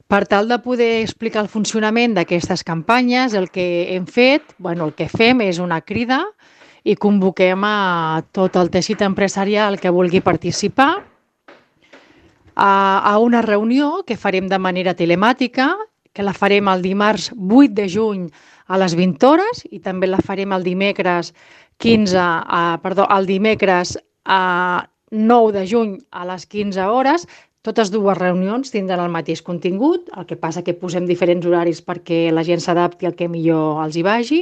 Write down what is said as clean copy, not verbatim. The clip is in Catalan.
Per tal de poder explicar el funcionament d'aquestes campanyes, el que hem fet, el que fem és una crida i convoquem a tot el teixit empresarial que vulgui participar a una reunió que farem de manera telemàtica, que la farem el dimarts 8 de juny a les 20 hores i també la farem el dimecres el dimecres 9 de juny a les 15 hores. Totes dues reunions tindran el mateix contingut, el que passa que posem diferents horaris perquè la gent s'adapti al que millor els hi vagi.